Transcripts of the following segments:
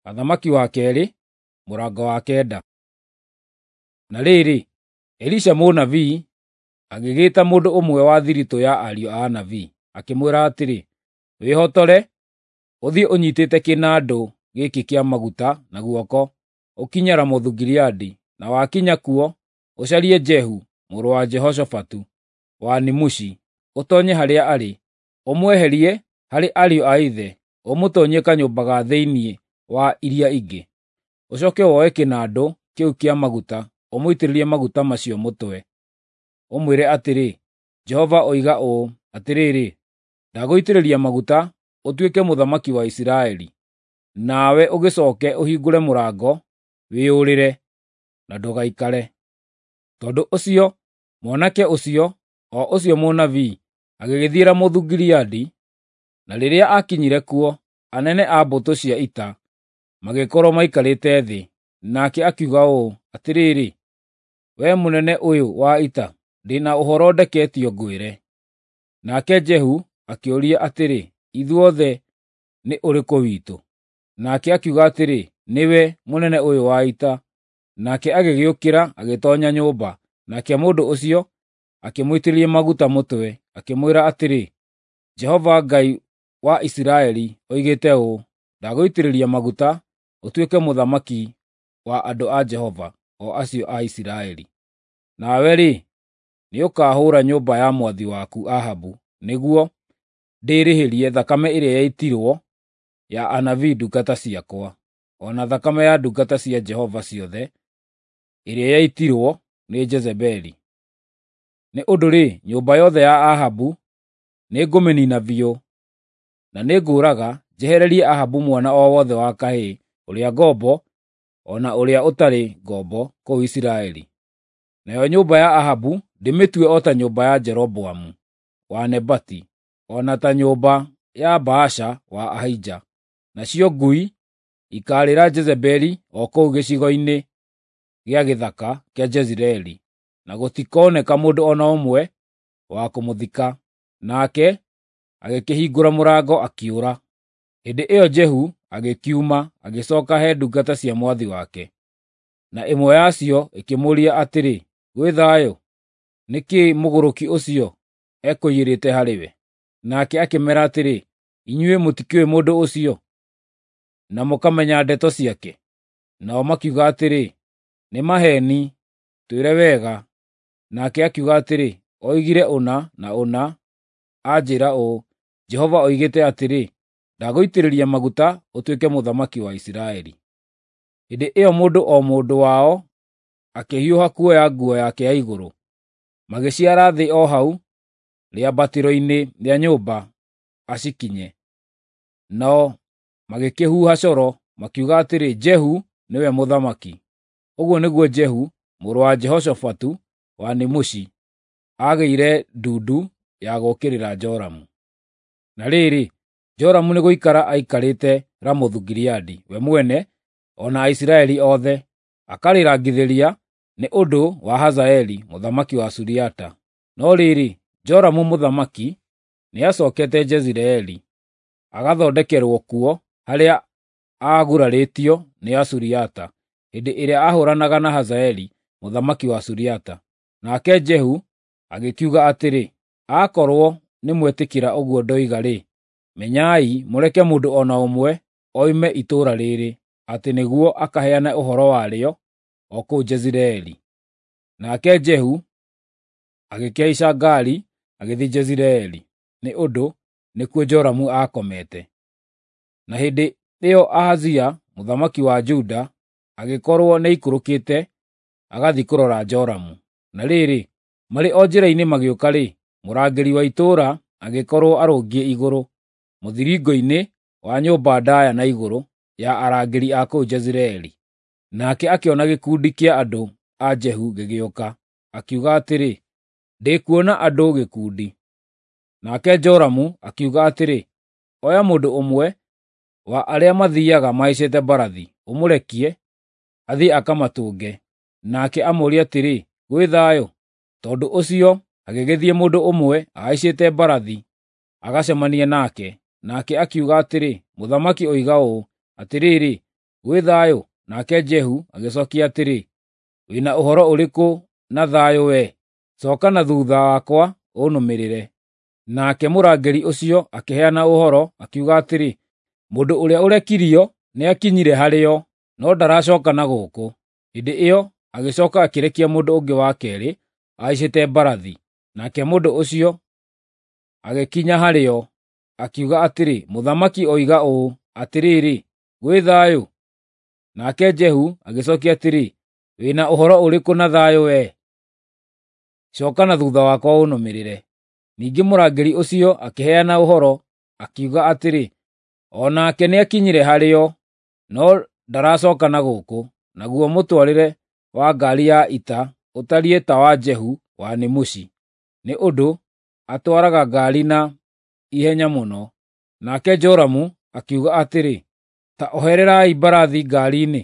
Athamaki wa kerĩ, mũrango wa 9. Na rĩrĩ, Elisha mũnabii agĩgĩta mũndũ ũmwe wa thiritũ ya ariũ a anabii, akĩmwĩra atĩrĩ, “Wĩhotore, ũthiĩ ũnyiitĩte kĩnandũ gĩkĩ kĩa maguta na guoko, ũkinye Ramothu-Gileadi, na wakinya kuo, ũcarie Jehu mũrũ wa Jehoshafatu wa Nimushi, ũtoonye harĩa arĩ, ũmweherie harĩ ariũ a ithe, ũmũtoonyie kanyũmba ga thĩinĩ wa iria ingĩ. Ũcooke woe kĩnandũ kĩu kĩa maguta ũmũitĩrĩrie maguta macio mũtwe. Ũmwĩre atĩrĩ, ‘Jehova oiga ũũ: Atĩrĩrĩ, ndagũitĩrĩria maguta ũtuĩke mũthamaki wa Isiraeli.’ Nawe ũgĩcooke ũhingũre mũrango wĩyũrĩre, na ndũgaikare.” Tondũ ũcio mwanake ũcio, o ũcio mũnabii, agĩgĩthiĩ Ramothu-Gileadi, na rĩrĩa aakinyire kuo, anene a mbũtũ cia ita magĩkorwo maikarĩte thĩ. Nake akiuga ũũ, “Atĩrĩrĩ, wee mũnene ũyũ wa ita, ndĩ na ũhoro ndeketio ngwĩre.” Nake Jehu akĩũria atĩrĩ, “Ithuothe nĩ ũrĩkũ witũ?” Nake akiuga atĩrĩ, “Nĩwe, mũnene ũyũ wa ita.” Nake agĩgĩũkĩra agĩtoonya nyũmba. Nake mũndũ ũcio akĩmũitĩrĩria maguta mũtwe, akĩmwĩra atĩrĩ, “Jehova Ngai wa Isiraeli oigĩte ũũ: Ndagũitĩrĩria maguta ũtuĩke mũthamaki wa andũ a Jehova, o acio a Isiraeli. Nawe-rĩ, nĩũkahũũra nyũmba ya mwathi waku Ahabu, nĩguo ndĩĩrĩhĩrie thakame ĩrĩa yaitirwo ya anabii ndungata ciakwa, o na thakame ya ndungata cia Jehova ciothe ĩrĩa yaitirwo nĩ Jezebeli. Nĩ ũndũ-rĩ, nyũmba yothe ya Ahabu nĩngũmĩniina biũ, na nĩngũũraga njehererie Ahabu mwana o wothe wa kahĩĩ, ũrĩa ngombo o na ũrĩa ũtarĩ ngombo kũu Isiraeli. Nayo nyũmba ya Ahabu ndĩmĩtue o ta nyũmba ya Jeroboamu wa Nebati, o na ta nyũmba ya Baasha wa Ahija. Nacio ngui ikaarĩra Jezebeli o kũu gĩcigo-inĩ gĩa gĩthaka kĩa Jezireeli, na gũtikoneka mũndũ o na ũmwe wa kũmũthika.” Nake agĩkĩhingũra mũrango akĩũra. Hĩndĩ ĩyo Jehu agĩkiuma, agĩcooka he ndungata cia mwathi wake. Na ĩmwe yacio ĩkĩmũũria atĩrĩ, “Gwĩ thayũ? Nĩ kĩĩ mũgũrũki ũcio ekũiyĩrĩte harĩwe?” Nake akĩmeera atĩrĩ, “Inyuĩ mũtikĩũĩ mũndũ ũcio, na mũkamenya ndeto ciake.” Nao makiuga atĩrĩ, “Nĩ maheeni, twĩre wega.” Nake akiuga atĩrĩ, “Oigire ũna na ũna anjĩĩra ũũ, ‘Jehova oigĩte atĩrĩ: Ndagũitĩrĩria maguta ũtuĩke mũthamaki wa Isiraeli.’ ” Hĩndĩ ĩyo mũndũ o mũndũ wao akĩhiũha kuoya nguo yake ya igũrũ, magĩciara thĩ o hau rĩambatĩro-inĩ rĩa nyũmba acikinye. Nao magĩkĩhuha coro, makiuga atĩrĩ, “Jehu nĩwe mũthamaki.” Ũguo nĩguo Jehu mũrũ wa Jehoshafatu wa Nimushi aagĩire ndundu ya gũũkĩrĩra Joramu. Na rĩrĩ, Joramu nĩgũikara aikarĩte Ramothu-Gileadi we mwene o na Aisiraeli othe, akarĩrangithĩria nĩ ũndũ wa Hazaeli mũthamaki wa Suriata. No rĩrĩ, Joramu mũthamaki nĩacookete Jezireeli, agathondekerwo kuo harĩa aagurarĩtio nĩ Asuriata hĩndĩ ĩrĩa aahũũranaga na Hazaeli mũthamaki wa Suriata. Nake Jehu agĩkiuga atĩrĩ, “Akorwo nĩmwetĩkĩra ũguo ndoiga-rĩ, menyai mũreke mũndũ o na ũmwe oime itũũra rĩĩrĩ, atĩ nĩguo akaheane ũhoro warĩo o kũu Jezireeli.” Nake Jehu agĩkĩhaica ngaari agĩthiĩ Jezireeli, nĩ ũndũ nĩkuo Joramu aakomete. Na hĩndĩ ĩyo Ahazia mũthamaki wa Juda agĩkorwo nĩaikũrũkĩte agathiĩ kũrora Joramu. Na rĩrĩ, marĩ o njĩra-inĩ magĩũka-rĩ, mũrangĩri wa itũũra agĩkorwo arũngiĩ igũrũ, mũthiringo-inĩ wa nyũmba ndaaya na igũrũ ya arangĩri a kũu Jezireeli. Nake akĩona gĩkundi kĩa andũ a Jehu gĩgĩũka, akiuga atĩrĩ, “Ndĩkuona andũ gĩkundi.” Nake Joramu akiuga atĩrĩ, “Oya mũndũ ũmwe wa arĩa mathiiaga mahaicĩte mbarathi, ũmũrekie athiĩ akamatũnge.” Nake amũũrie atĩrĩ, “Gwĩ thayũ?” Tondũ ũcio agĩgĩthiĩ mũndũ ũmwe ahaicĩte mbarathi agacemanie nake, nake akiuga atĩrĩ, “Mũthamaki oiga ũũ: Atĩrĩrĩ, “Gwĩ thayũ?” Nake Jehu agĩcookia atĩrĩ, “Wĩ na ũhoro ũrĩkũ na thayũ wee? Cooka na thuutha wakwa ũnũmĩrĩre.” Nake mũrangĩri ũcio akĩheana ũhoro, akiuga atĩrĩ, “Mũndũ ũrĩa ũrekirio nĩakinyire harĩo, no ndaracooka na gũkũ.” Hĩndĩ ĩyo agĩcooka akĩrekia mũndũ ũngĩ wa keerĩ ahaicĩte mbarathi, nake mũndũ ũcio agĩkinya harĩo, akiuga atĩrĩ, “Mũthamaki oiga ũũ, ‘Atĩrĩrĩ, gwĩ thayũ?’ ” Nake Jehu agĩcookia atĩrĩ, “Wĩ na ũhoro ũrĩkũ na thayũ wee? Cooka na thuutha wakwa ũnũmĩrĩre.” Ningĩ mũrangĩri ũcio akĩheana ũhoro, akiuga atĩrĩ, “O nake nĩakinyire harĩo, no ndaracooka na gũkũ.” Naguo mũtwarĩre wa ngaari ya ita ũtariĩ ta wa Jehu wa Nimushi, nĩ ũndũ atwaraga ngaari na ihenya mũno. Nake Joramu akiuga atĩrĩ, “Ta ohererai mbarathi ngaari-inĩ.”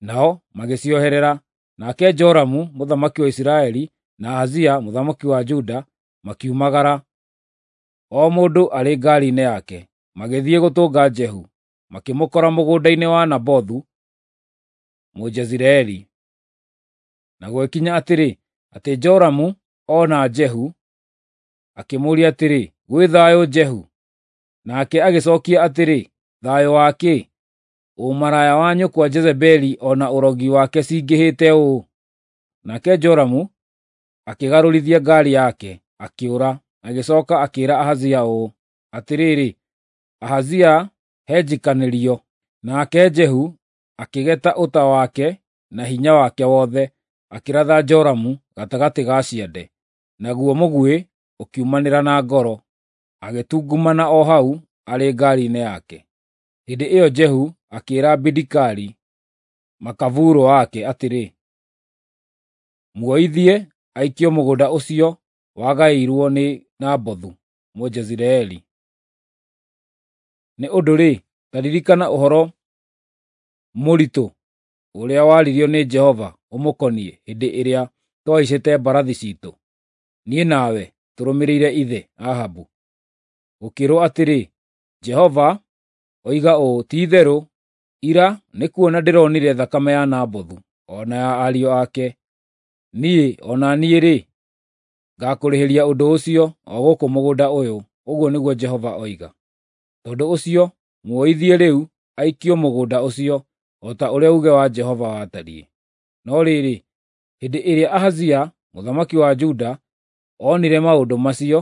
Nao magĩcioherera. Nake Joramu mũthamaki wa Isiraeli na Ahazia mũthamaki wa Juda makiumagara, o mũndũ arĩ ngaari-inĩ yake, magĩthiĩ gũtũnga Jehu, makĩmũkora mũgũnda-inĩ wa Nabothu Mũjezireeli. Na gũgĩkinya atĩrĩ, atĩ Joramu ona Jehu, akĩmũũria atĩrĩ, “Gwĩ thayũ, Jehu?” Nake agĩcookia atĩrĩ, “Thayũ wa kĩ? Ũmaraya wa nyũkwa Jezebeli o na ũrogi wake cingĩhĩte ũũ?” Nake Joramu akĩgarũrithia ngaari yake, akĩũra, agĩcooka akĩĩra Ahazia ũũ, “Atĩrĩrĩ, Ahazia, he njikanĩrio.” Nake Jehu akĩgeta ũta wake na hinya wake wothe, akĩratha Joramu gatagatĩ ga ciande, naguo mũguĩ ũkiumanĩra na ngoro, agĩtungumana o hau arĩ ngaari-inĩ yake. Hĩndĩ ĩyo Jehu akĩĩra Bidikari makaburu wake atĩrĩ, “Muoithie aikio mũgũnda ũcio wagaĩirwo nĩ Nabothu Mũjezireeli. Nĩ ũndũ-rĩ, ta ririkana ũhoro mũritũ ũrĩa waririo nĩ Jehova ũmũkoniĩ hĩndĩ ĩrĩa twahaicĩte mbarathi ciitũ, niĩ nawe tũrũmĩrĩire ithe, Ahabu. Gũkĩĩrwo atĩrĩ, ‘Jehova oiga ũũ, ti-itherũ ira nĩkuona ndĩronire thakame ya Nabothu o na ya ariũ ake. Niĩ o na niĩ-rĩ, ngaakũrĩhĩria ũndũ ũcio o gũkũ mũgũnda ũyũ, ũguo nĩguo Jehova oiga.’ Tondũ ũcio muoithie rĩu aikio mũgũnda ũcio, o ta ũrĩa uuge wa Jehova watariĩ.” No rĩrĩ, hĩndĩ ĩrĩa Ahazia mũthamaki wa Juda onire maũndũ macio,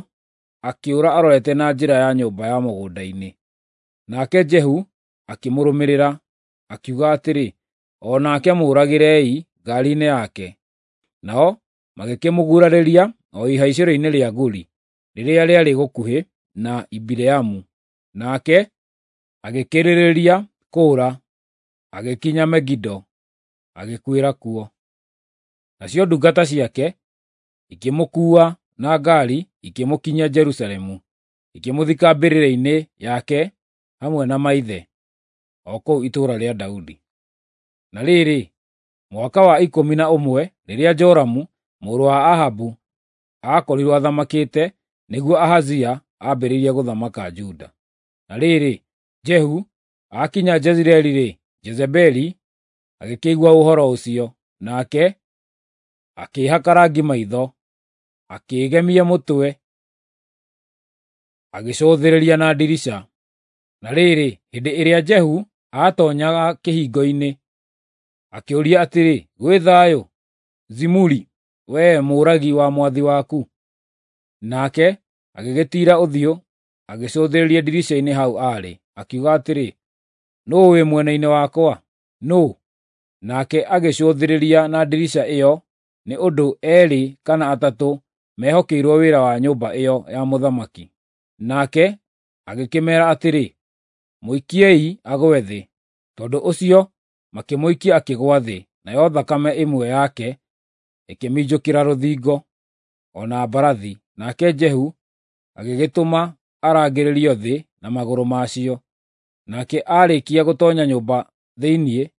akĩũra arorete na njĩra ya nyũmba ya mũgũnda-inĩ. Nake Jehu akĩmũrũmĩrĩra, akiuga atĩrĩ, “O nake mũũragĩrei ngaari-inĩ yake.” Nao magĩkĩmũgurarĩria o ihaicĩro-inĩ rĩa Guri, rĩrĩa rĩarĩ gũkuhĩ na Ibileamu. Nake agĩkĩrĩrĩria kũũra, agĩkinya Megido, agĩkuĩra kuo. Nacio ndungata ciake ikĩmũkuua na ngaari ikĩmũkinyia Jerusalemu, ikĩmũthika mbĩrĩra-inĩ yake hamwe na maithe, o kũu itũũra rĩa Daudi. Na rĩrĩ, mwaka wa 11 rĩrĩa Joramu mũrũ wa Ahabu aakorirwo athamakĩte, nĩguo Ahazia ambĩrĩirie gũthamaka Juda. Na rĩrĩ, Jehu aakinya Jezireeli-rĩ, Jezebeli agĩkĩigua ũhoro ũcio, nake akĩĩhaka rangi maitho, akĩĩgemia mũtwe, agĩcũthĩrĩria na ndirica. Na rĩrĩ, hĩndĩ ĩrĩa Jehu aatoonyaga kĩhingo-inĩ, akĩũria atĩrĩ, “Gwĩ thayũ, Zimuri, wee mũũragi wa mwathi waku?” Nake agĩgĩtiira ũthiũ, agĩcũthĩrĩria ndirica-inĩ hau aarĩ, akiuga atĩrĩ, “Nũũ wĩ mwena-inĩ wakwa? Nũũ?” Nake agĩcũthĩrĩria na ndirica ĩyo nĩ ũndũ eerĩ kana atatũ mehokeirwo wĩra wa nyũmba ĩyo ya mũthamaki. Nake agĩkĩmeera atĩrĩ, “Mũikiei agwe thĩ.” Tondũ ũcio makĩmũikia akĩgũa thĩ, nayo thakame ĩmwe yake ĩkĩminjũkĩra rũthingo, o na mbarathi. Nake Jehu agĩgĩtũma arangĩrĩrio thĩ na magũrũ macio. Nake aarĩkia gũtoonya nyũmba thĩinĩ,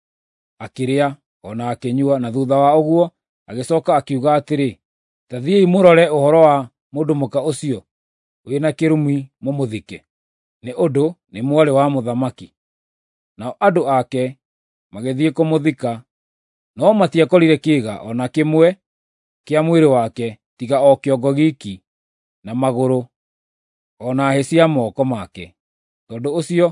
akĩrĩa o na akĩnyua, na thuutha wa ũguo agĩcooka akiuga atĩrĩ, “Ta thiĩi mũrore ũhoro wa mũndũ mũka ũcio wĩ na kĩrumi mũmũthike, nĩ ũndũ nĩ mwarĩ wa mũthamaki.” Nao andũ ake magĩthiĩ kũmũthika, no matiakorire kĩĩga o na kĩmwe kĩa mwĩrĩ wake tiga o kĩongo giiki, na magũrũ, o na hĩ cia moko make. Tondũ ũcio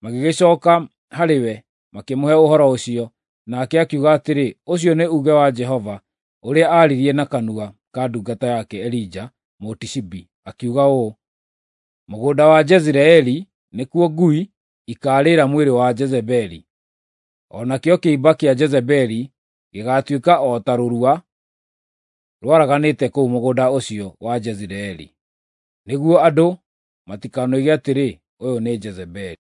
magĩgĩcooka harĩ we makĩmũhe ũhoro ũcio, nake akiuga atĩrĩ, “Ũcio nĩ uuge wa Jehova ũrĩa aaririe na kanua ka ndungata yake Elija Mũtishibi, akiuga ũũ: Mũgũnda wa Jezireeli nĩkuo ngui ikaarĩĩra mwĩrĩ wa Jezebeli, o nakĩo kĩimba kĩa Jezebeli gĩgaatuĩka o ta rũrua rwaraganĩte kũu mũgũnda ũcio wa Jezireeli, nĩguo andũ matikanoige atĩrĩ, ‘Ũyũ nĩ Jezebeli.’ ”